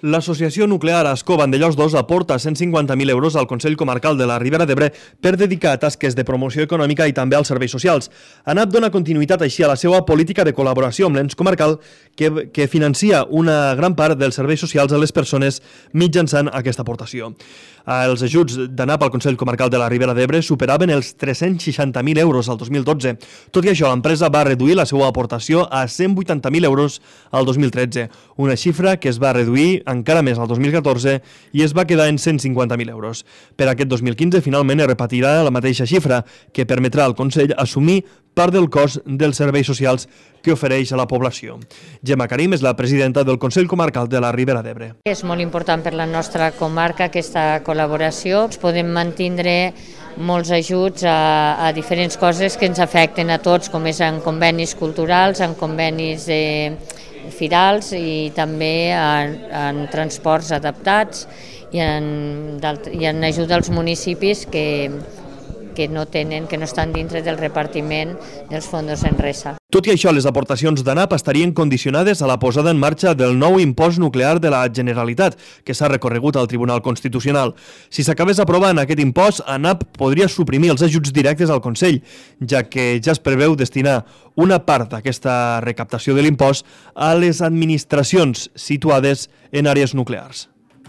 L'Associació Nuclear Ascó Vandellòs 2 aporta 150.000 euros al Consell Comarcal de la Ribera d'Ebre per dedicar a tasques de promoció econòmica i també als serveis socials. ANAP dona continuïtat així a la seva política de col·laboració amb l'ens comarcal que financia una gran part dels serveis socials a les persones mitjançant aquesta aportació. Els ajuts d'ANAP al Consell Comarcal de la Ribera d'Ebre superaven els 360.000 euros al 2012. Tot i això, l'empresa va reduir la seva aportació a 180.000 euros al 2013, una xifra que es va reduir encara més al 2014 i es va quedar en 150.000 euros. Per aquest 2015, finalment, es repetirà la mateixa xifra, que permetrà al Consell assumir part del cost dels serveis socials que ofereix a la població. Gemma Karim és la presidenta del Consell Comarcal de la Ribera d'Ebre. És molt important per la nostra comarca aquesta col·laboració. Podem mantindre molts ajuts a diferents coses que ens afecten a tots, com és en convenis culturals, en convenis firals i també en transports adaptats i en ajuda als municipis que no estan dintre del repartiment dels fons Enresa. Tot i això, les aportacions d'ANAP estarien condicionades a la posada en marxa del nou impost nuclear de la Generalitat, que s'ha recorregut al Tribunal Constitucional. Si s'acabés aprovant aquest impost, ANAP podria suprimir els ajuts directes al Consell, ja que ja es preveu destinar una part d'aquesta recaptació de l'impost a les administracions situades en àrees nuclears.